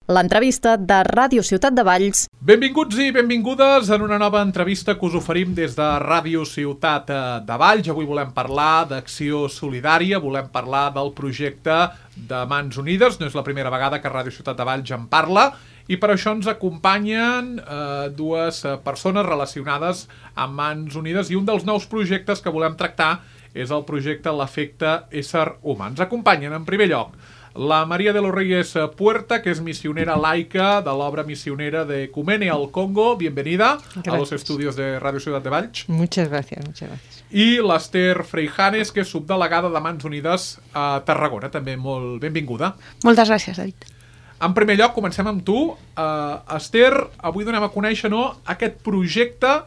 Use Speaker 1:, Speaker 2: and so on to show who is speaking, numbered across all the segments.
Speaker 1: L'entrevista de Ràdio Ciutat de Valls.
Speaker 2: Benvinguts i benvingudes en una nova entrevista que us oferim des de Ràdio Ciutat de Valls. Avui volem parlar d'acció solidària, volem parlar del projecte de Mans Unides. No és la primera vegada que Ràdio Ciutat de Valls en parla i per això ens acompanyen dues persones relacionades amb Mans Unides i un dels nous projectes que volem tractar és el projecte L'Efecte Ésser Humà. Ens acompanyen en primer lloc la María de los Reyes Puerta, que es misionera laica de l'obra misionera de Ecumene al Congo. Bienvenida a los estudios de Radio Ciudad de Valls.
Speaker 3: Muchas gracias, muchas gracias.
Speaker 2: I l'Ester Freijanes, que és subdelegada de Mans Unides a Tarragona. També molt benvinguda.
Speaker 4: Moltes gràcies, David.
Speaker 2: En primer lloc, comencem amb tu. Esther, avui donem a conèixer aquest projecte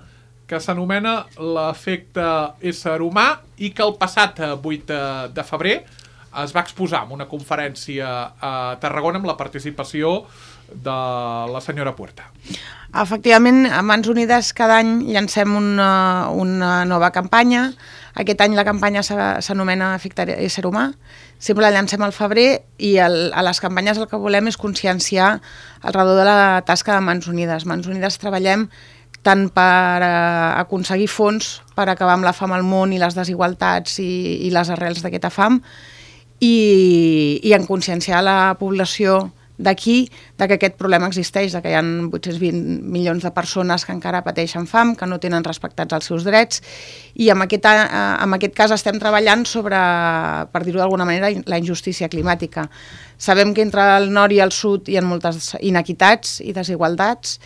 Speaker 2: que s'anomena L'Efecte Ésser Humà i que el passat 8 de febrer es va exposar en una conferència a Tarragona amb la participació de la senyora Puerta.
Speaker 4: Efectivament, a Mans Unides cada any llancem una nova campanya. Aquest any la campanya s'anomena Efecte Ésser Humà. Sempre la llancem al febrer i a les campanyes el que volem és conscienciar al redor de la tasca de Mans Unides. Mans Unides treballem tant per aconseguir fons per acabar amb la fam al món i les desigualtats i les arrels d'aquesta fam, i en conscienciar la població d'aquí que aquest problema existeix, que hi ha 820 milions de persones que encara pateixen fam, que no tenen respectats els seus drets, i en aquest cas estem treballant sobre, per dir-ho d'alguna manera, la injustícia climàtica. Sabem que entre el nord i el sud hi ha moltes inequitats i desigualtats,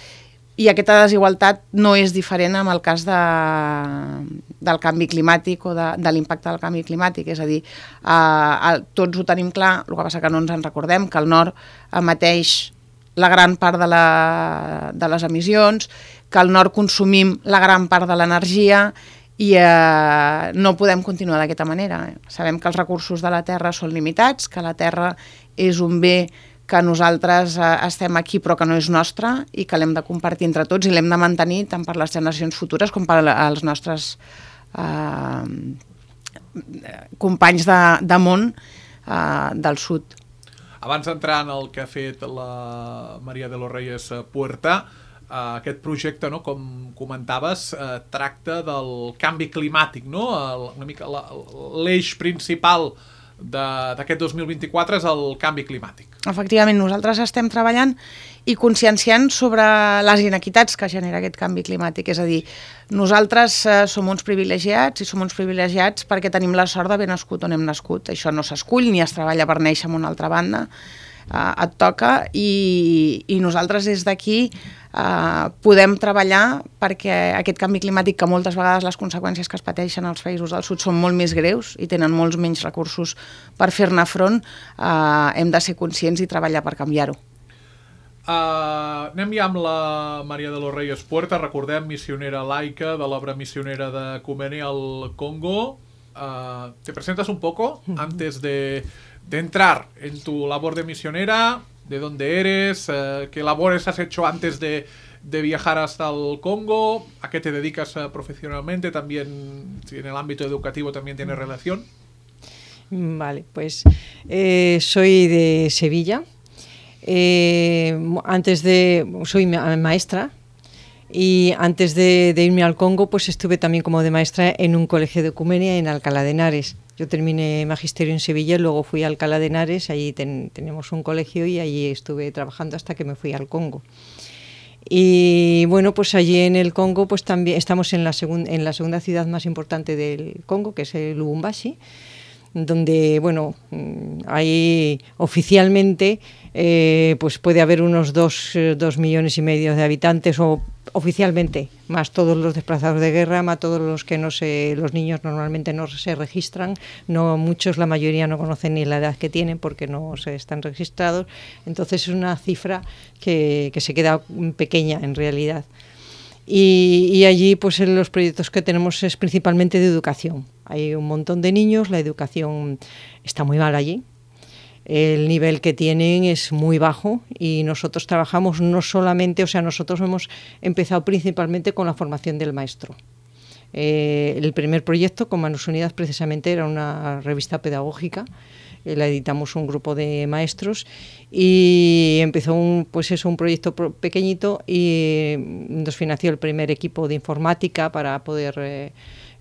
Speaker 4: i aquesta desigualtat no és diferent amb el cas del canvi climàtic o de l'impacte del canvi climàtic. És a dir, tots ho tenim clar, el que passa que no ens en recordem, que el nord emeteix la gran part de les emissions, que al nord consumim la gran part de l'energia i no podem continuar d'aquesta manera. Sabem que els recursos de la terra són limitats, que la terra és un bé que nosaltres estem aquí però que no és nostre i que l'hem de compartir entre tots i l'hem de mantenir tant per les generacions futures com per als nostres companys de món del sud.
Speaker 2: Abans d'entrar en el que ha fet la María de los Reyes Puerta, aquest projecte, com comentaves, tracta del canvi climàtic, una mica l'eix principal d'aquest 2024 és el canvi climàtic.
Speaker 4: Efectivament, nosaltres estem treballant i conscienciant sobre les inequitats que genera aquest canvi climàtic. És a dir, nosaltres som uns privilegiats i som uns privilegiats perquè tenim la sort d'haver nascut on hem nascut. Això no s'escull ni es treballa per néixer en una altra banda. Et toca i nosaltres des d'aquí podem treballar perquè aquest canvi climàtic, que moltes vegades les conseqüències que es pateixen als països del sud són molt més greus i tenen molts menys recursos per fer-ne front, hem de ser conscients i treballar per canviar-ho.
Speaker 2: Anem ja amb la María de los Reyes Puerta, recordem, misionera laica de l'obra misionera de Ecumene al Congo. ¿Te presentas un poco antes de entrar en tu labor de misionera? ¿De dónde eres? ¿Qué labores has hecho antes de viajar hasta el Congo? ¿A qué te dedicas profesionalmente? También, si en el ámbito educativo también tiene relación.
Speaker 3: Vale, pues soy de Sevilla. Soy maestra. Y antes de irme al Congo, pues estuve también como de maestra en un colegio de Ecumene en Alcalá de Henares. Yo terminé magisterio en Sevilla y luego fui a Alcalá de Henares, allí tenemos un colegio y allí estuve trabajando hasta que me fui al Congo. Y bueno, pues allí en el Congo pues también estamos en la segunda ciudad más importante del Congo, que es el Lubumbashi, donde, bueno, ahí oficialmente pues puede haber unos 2,5 millones de habitantes, o oficialmente, más todos los desplazados de guerra, más todos los que los niños normalmente no se registran, muchos, la mayoría no conocen ni la edad que tienen porque no se están registrados, entonces es una cifra que se queda pequeña en realidad. Y allí pues los proyectos que tenemos es principalmente de educación. Hay un montón de niños, la educación está muy mal allí. El nivel que tienen es muy bajo y nosotros trabajamos no solamente, nosotros hemos empezado principalmente con la formación del maestro. El primer proyecto con Manos Unidas precisamente era una revista pedagógica la editamos un grupo de maestros y empezó un proyecto pequeñito y nos financió el primer equipo de informática para poder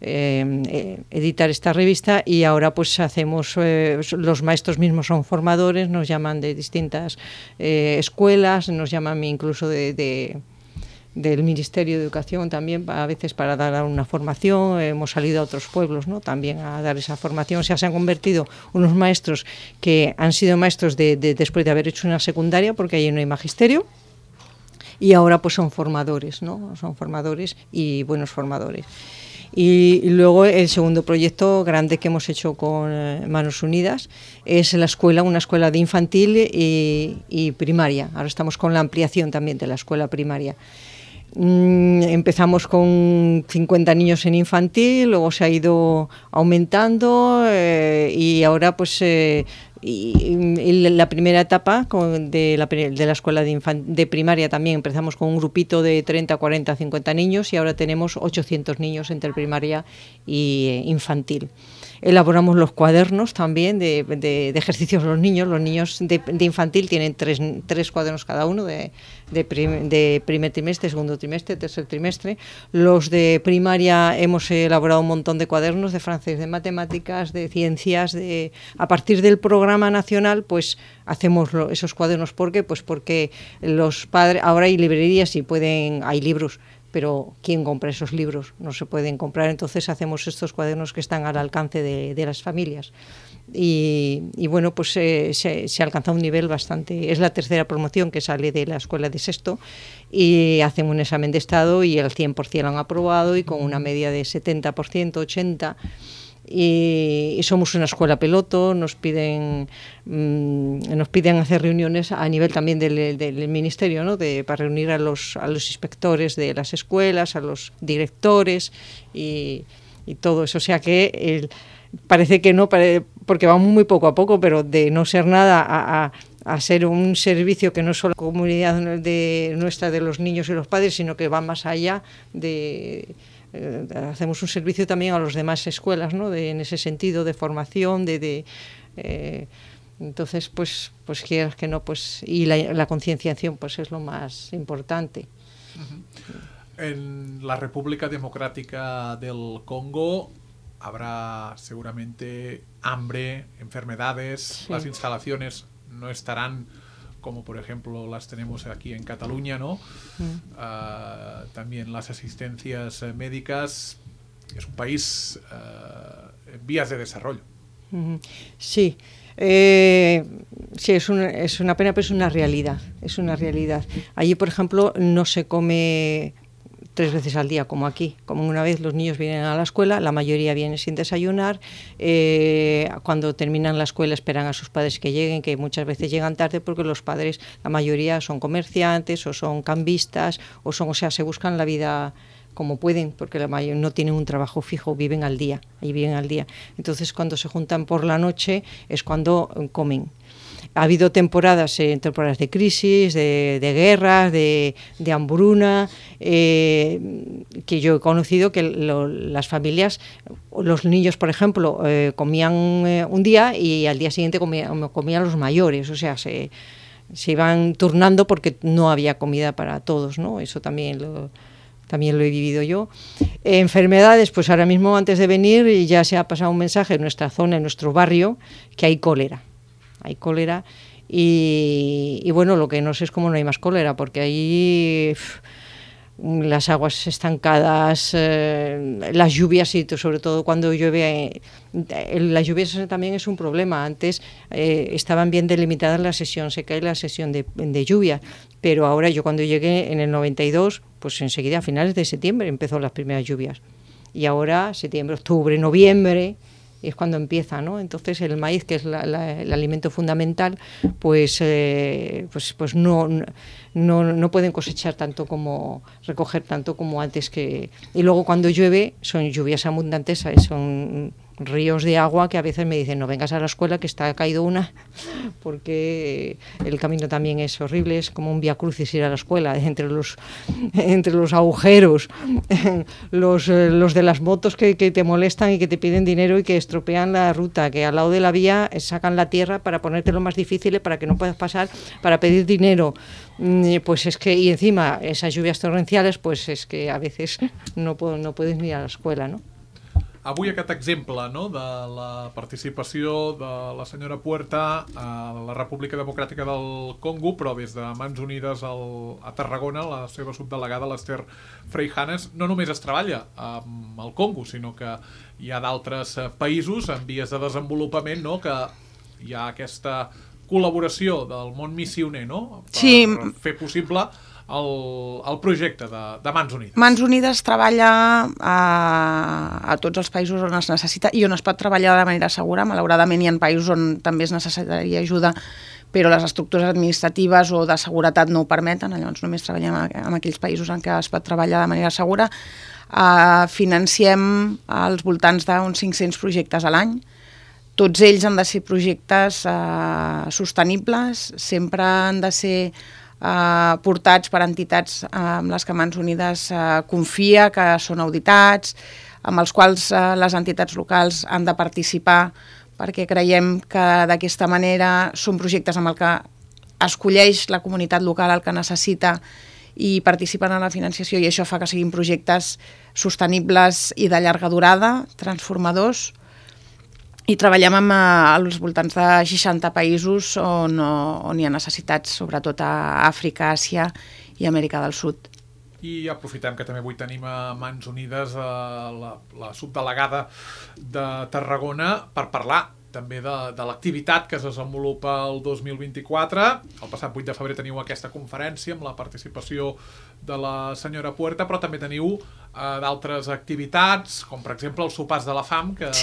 Speaker 3: editar esta revista, y ahora pues hacemos, los maestros mismos son formadores, nos llaman de distintas escuelas, nos llaman incluso del Ministerio de Educación también, a veces para dar una formación. Hemos salido a otros pueblos, ¿no?, también a dar esa formación. O sea, se han convertido unos maestros que han sido maestros después de haber hecho una secundaria, porque allí no hay magisterio, y ahora pues son formadores, ¿no? Son formadores y buenos formadores. Y luego el segundo proyecto grande que hemos hecho con Manos Unidas es una escuela de infantil y primaria. Ahora estamos con la ampliación también de la escuela primaria. Empezamos con 50 niños en infantil, luego se ha ido aumentando y ahora pues la primera etapa de la escuela de primaria también empezamos con un grupito de 30, 40, 50 niños, y ahora tenemos 800 niños entre primaria y infantil. Elaboramos los cuadernos también de ejercicios. Los niños de infantil tienen tres cuadernos cada uno, de primer trimestre, segundo trimestre, tercer trimestre. Los de primaria hemos elaborado un montón de cuadernos de francés, de matemáticas, de ciencias. A partir del programa nacional pues hacemos esos cuadernos. ¿Por qué? Pues porque los padres, ahora hay librerías y hay libros, pero ¿quién compra esos libros? No se pueden comprar, entonces hacemos estos cuadernos que están al alcance de las familias. Y bueno, pues se alcanza un nivel bastante. Es la tercera promoción que sale de la escuela de sexto, y hacen un examen de estado y el 100% lo han aprobado, y con una media de 70%, 80%. Y somos una escuela piloto. Nos piden hacer reuniones a nivel también del ministerio, ¿no?, para reunir a los inspectores de las escuelas, a los directores y todo eso. O sea que parece que no, porque vamos muy poco a poco, pero de no ser nada a ser un servicio que no es solo la comunidad nuestra de los niños y los padres, sino que va más allá hacemos un servicio también a las demás escuelas, ¿no?, en ese sentido de formación, entonces pues quieras que no, pues, y la concienciación pues es lo más importante.
Speaker 2: En la República Democrática del Congo habrá seguramente hambre, enfermedades, sí. Las instalaciones no estarán como por ejemplo las tenemos aquí en Cataluña, ¿no? También las asistencias médicas. Es un país en vías de desarrollo.
Speaker 3: Sí. Sí, es una pena, pero es una realidad. Allí, por ejemplo, no se come 3 veces al día como aquí. Como una vez los niños vienen a la escuela, la mayoría vienen sin desayunar. Cuando terminan la escuela esperan a sus padres que lleguen, que muchas veces llegan tarde porque los padres, la mayoría son comerciantes o son cambistas o se buscan la vida como pueden, porque la mayoría no tienen un trabajo fijo, viven al día. Entonces cuando se juntan por la noche es cuando comen. Ha habido temporadas de crisis, de guerras, de hambruna, que yo he conocido que las familias, los niños, por ejemplo, comían un día y al día siguiente comían los mayores, o sea, se iban turnando porque no había comida para todos, ¿no? Eso también lo he vivido yo. Enfermedades, pues ahora mismo antes de venir ya se ha pasado un mensaje en nuestra zona, en nuestro barrio, que hay cólera. Y bueno, lo que no sé es cómo no hay más cólera, porque ahí las aguas estancadas, las lluvias, y sobre todo cuando llueve, las lluvias también es un problema. Antes estaban bien delimitadas la sesión seca y la sesión de lluvia, pero ahora yo cuando llegué en el 92, pues enseguida a finales de septiembre empezó las primeras lluvias, y ahora septiembre, octubre, noviembre es cuando empieza, ¿no? Entonces el maíz, que es el alimento fundamental, pues no pueden cosechar tanto como recoger tanto como antes, y luego cuando llueve son lluvias abundantes, son ríos de agua que a veces me dicen no vengas a la escuela que está caído una, porque el camino también es horrible, es como un vía crucis ir a la escuela, entre los agujeros, los de las motos que te molestan y que te piden dinero y que estropean la ruta, que al lado de la vía sacan la tierra para ponértelo más difícil para que no puedas pasar, para pedir dinero. Pues es que, y encima esas lluvias torrenciales, pues es que a veces no puedes ni ir a la escuela, ¿no?
Speaker 2: Avui aquest exemple, no?, de la participació de la senyora Puerta a la República Democràtica del Congo, però des de Mans Unides a Tarragona, la seva subdelegada, l'Ester Freijanes, no només es treballa amb el Congo, sinó que hi ha d'altres països en vies de desenvolupament, no?, que hi ha aquesta col·laboració del món missioner, no?, per fer possible el projecte de Mans Unides.
Speaker 4: Mans Unides treballa a tots els països on es necessita i on es pot treballar de manera segura. Malauradament hi ha països on també es necessitaria ajuda, però les estructures administratives o de seguretat no ho permeten, llavors només treballem en aquells països en què es pot treballar de manera segura. Financiem als voltants d'uns 500 projectes a l'any. Tots ells han de ser projectes sostenibles, sempre han de ser portats per entitats amb les que Mans Unides confia, que són auditats, amb els quals les entitats locals han de participar, perquè creiem que d'aquesta manera són projectes amb el que escolleix la comunitat local el que necessita i participen en la financiació, i això fa que siguin projectes sostenibles i de llarga durada, transformadors. I treballem als voltants de 60 països on hi ha necessitats, sobretot a Àfrica, Àsia i Amèrica del Sud.
Speaker 2: I aprofitem que també avui tenim a Mans Unides la subdelegada de Tarragona per parlar també de l'activitat que es desenvolupa el 2024. El passat 8 de febrer teniu aquesta conferència amb la participació de la senyora Puerta, però també teniu d'altres activitats, com per exemple els sopars de la fam, que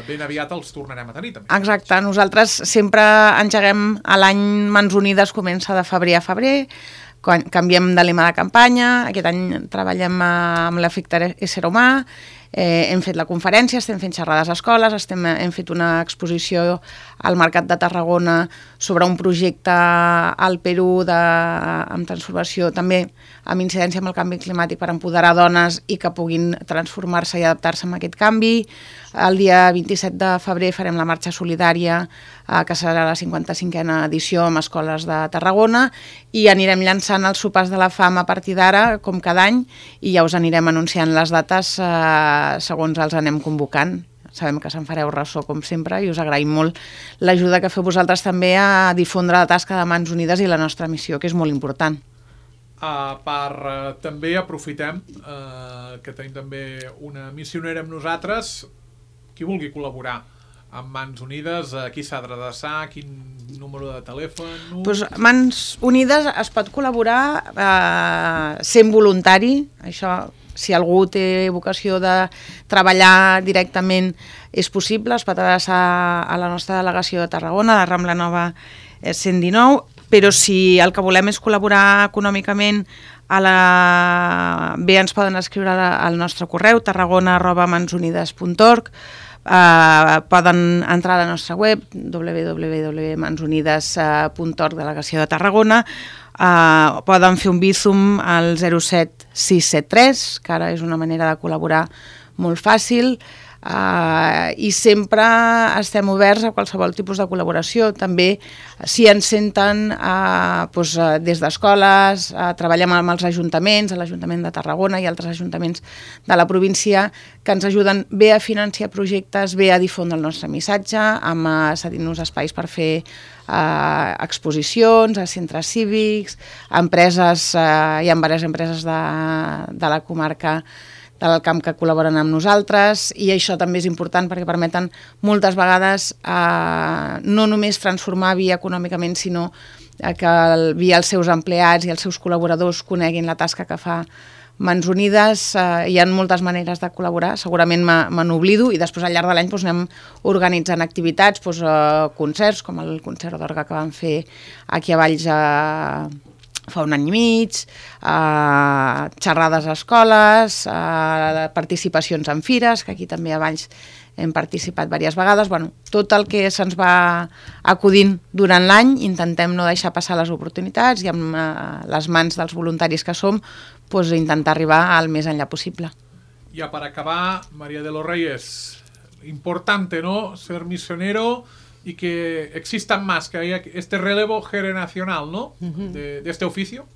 Speaker 2: ben aviat els tornarem a tenir també.
Speaker 4: Exacte, nosaltres sempre engeguem a l'any Mans Unides, comença de febrer a febrer, quan canviem de lema de campanya. Aquest any treballem amb l'efecte ésser humà, hem fet la conferència, estem fent xerrades a escoles, hem fet una exposició al Mercat de Tarragona sobre un projecte al Perú amb transformació, també amb incidència amb el canvi climàtic, per empoderar dones i que puguin transformar-se i adaptar-se a aquest canvi. El dia 27 de febrer farem la marxa solidària, que serà la 55a edició amb escoles de Tarragona, i anirem llançant els sopars de la fam a partir d'ara, com cada any, i ja us anirem anunciant les dates segons els anem convocant. Sabem que se'n fareu ressò, com sempre, i us agraïm molt l'ajuda que feu vosaltres també a difondre la tasca de Mans Unides i la nostra missió, que és molt important.
Speaker 2: També aprofitem que tenim també una missionera amb nosaltres. Qui vulgui col·laborar amb Mans Unides, a qui s'ha d'adreçar, quin número de telèfon?
Speaker 4: Mans Unides es pot col·laborar sent voluntari. Això, si algú té vocació de treballar directament, és possible. Es pot adreçar a la nostra delegació de Tarragona, de Rambla Nova 119, però si el que volem és col·laborar econòmicament, bé ens poden escriure al nostre correu tarragona@mansunides.org. Poden entrar a la nostra web www.mansunides.org, delegació de Tarragona. Poden fer un Bizum al 07673, que ara és una manera de col·laborar molt fàcil. I sempre estem oberts a qualsevol tipus de col·laboració. També, si ens senten des d'escoles, treballem amb els ajuntaments, l'Ajuntament de Tarragona i altres ajuntaments de la província, que ens ajuden bé a financiar projectes, bé a difondre el nostre missatge, cedint-nos espais per fer exposicions a centres cívics, a empreses. Hi ha diverses empreses de la comarca del camp que col·laboren amb nosaltres, i això també és important perquè permeten moltes vegades no només transformar via econòmicament, sinó que via els seus empleats i els seus col·laboradors coneguin la tasca que fa Mans Unides. Hi ha moltes maneres de col·laborar, segurament me n'oblido, i després al llarg de l'any anem organitzant activitats, concerts com el concert d'orgue que vam fer aquí a Valls fa un any i mig, xerrades a escoles, participacions en fires, que aquí també a Valls hem participat diverses vegades. Bueno, tot el que se'ns va acudint durant l'any, intentem no deixar passar les oportunitats i amb les mans dels voluntaris que som, pues, intentar arribar al més enllà possible.
Speaker 2: Ya para acabar, María de los Reyes, importante, ¿no?, ser misionero y que existan más, que haya este relevo generacional, ¿no?, de este oficio,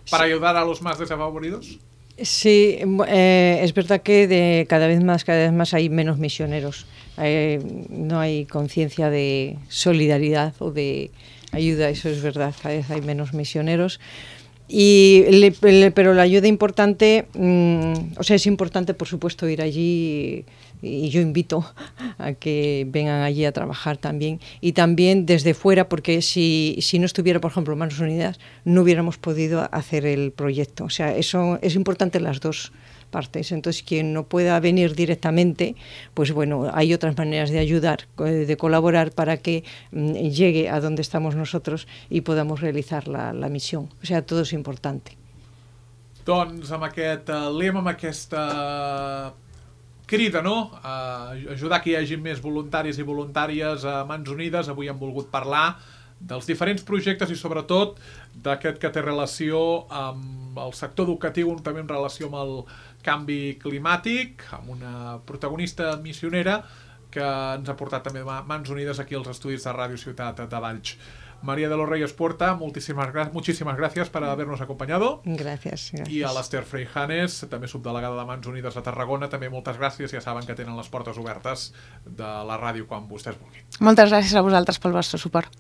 Speaker 2: para ayudar a los más desfavorecidos.
Speaker 3: Sí, es verdad que cada vez más hay menos misioneros. No hay conciencia de solidaridad o de ayuda, eso es verdad, cada vez hay menos misioneros. Pero la ayuda importante, o sea, es importante por supuesto ir allí y yo invito a que vengan allí a trabajar también y también desde fuera, porque si no estuviera, por ejemplo, Manos Unidas, no hubiéramos podido hacer el proyecto. O sea, eso es importante en las dos partes. Entonces, quien no pueda venir directamente, pues bueno, hay otras maneras de ayudar, de colaborar para que llegue a donde estamos nosotros y podamos realizar la misión. O sea, todo es importante.
Speaker 2: Doncs amb aquest lema, amb aquesta crida, no?, a ajudar que hi hagi més voluntaris i voluntàries a Mans Unides, avui hem volgut parlar dels diferents projectes i sobretot d'aquest que té relació amb el sector educatiu, també en relació amb el canvi climàtic, amb una protagonista missionera que ens ha portat també Mans Unides aquí als estudis de Ràdio Ciutat de Valls. María de los Reyes Puerta, muchísimas gracias por habernos acompañado.
Speaker 3: Gracias.
Speaker 2: I a l'Ester Freijanes, també subdelegada de Mans Unides a Tarragona, també moltes gràcies, ja saben que tenen les portes obertes de la ràdio quan vostès vulguin.
Speaker 4: Moltes gràcies a vosaltres pel vostre suport.